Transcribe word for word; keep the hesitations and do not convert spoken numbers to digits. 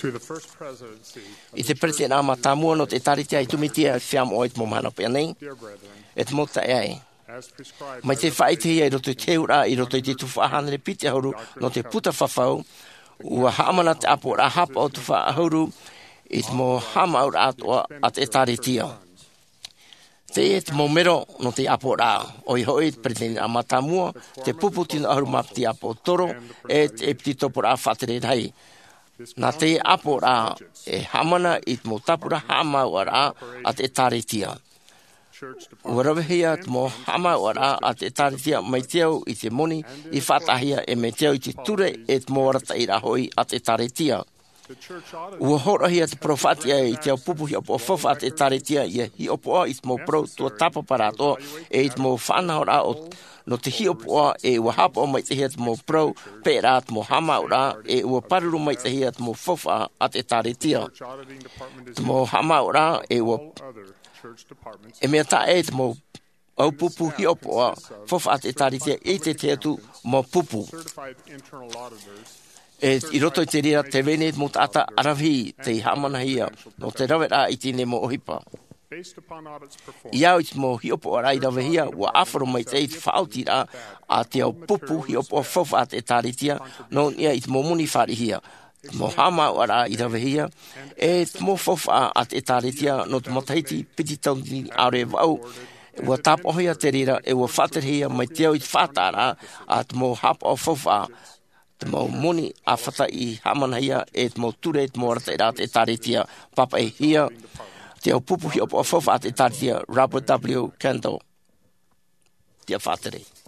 I te peretitiraʻa mātāmua nō te ʻĒkālesia i Tūmātia, e fiamoʻo i te mau mahana pea nei, e te mau taeaʻe. Mai te faʻaʻitehia i roto i te heheuraʻa, i roto i te tuhaʻa hānere piti ʻahuru nō te puta fafau, ua haʻamana te ʻāpoʻoraʻa haʻapaʻo tuhaʻa ʻahuru i te mau haʻamāuʻaraʻa atoʻa a te ʻĒkālesia. Teie te mau mero nō te ʻāpoʻoraʻa, ʻoia hoʻi te peretitiraʻa mātāmua, te pupu tino ʻahuru mā piti ʻāpōsetolo, e te ʻēpīsikoporaʻa faʻatere rahi. Nā te ʻāpoʻoraʻa e haʻamana i te mau tāpura haʻamāuʻaraʻa a te ʻĒkālesia. Ua ravehia te mau haʻamāuʻaraʻa a te ʻĒkālesia mai te au i te moni i faʻataʻahia, e mai te au i te ture e te mau arataʻiraʻa hoʻi a te ʻĒkālesia. Ua hōroʻahia te parau faʻatiʻa i te au pupu hiʻopoʻa faufaʻa a te ʻĒkālesia ʻia hiʻopoʻa i te mau parau tuatāpapa atoʻa, e i te mau faʻanahoraʻa o, nō te hiʻopoʻa, e ua haʻapaʻo maitaʻihia te mau parau peʻeraʻa, te mau haʻamāuʻaraʻa, e ua pāruru maitaʻihia te mau faufaʻa a te ʻĒkālesia. Te mau haʻamāuʻaraʻa, e ua, e mea taʻa ʻē te mau au pupu hiʻopoʻa faufaʻa a te ʻĒkālesia i te tahi atu mau pupu. E i roto i te reira, tē vai nei te mau taʻata ʻaravihi tei haʻamanahia nō te raveraʻa i teie nei mau ʻohipa. I au i te mau hiʻopoʻaraʻa i ravehia, ua ʻāfaro maitaʻi te faʻaotiraʻa a te au pupu hiʻopoʻa faufaʻa a te ʻĒkālesia nō niʻa i te mau moni fāriʻihia, te mau haʻamāuʻaraʻa i ravehia, e te mau faufaʻa a te ʻĒkālesia nō te matahiti piti tauatini ʻaore e vaʻu. Ua tāpaʻohia te reira, e ua faʻaterehia mai te au i te faʻataʻaraʻa a te mau haʻapaʻo faufaʻa, te mau moni ʻāfata i haʻamanahia, e te mau ture, te mau arataʻiraʻa a te ʻĒkālesia. Pāpaʻihia te au pupu hiʻopoʻa faufaʻa a te ʻĒkālesia, Robert W. Kendall. Tiʻa faʻatere.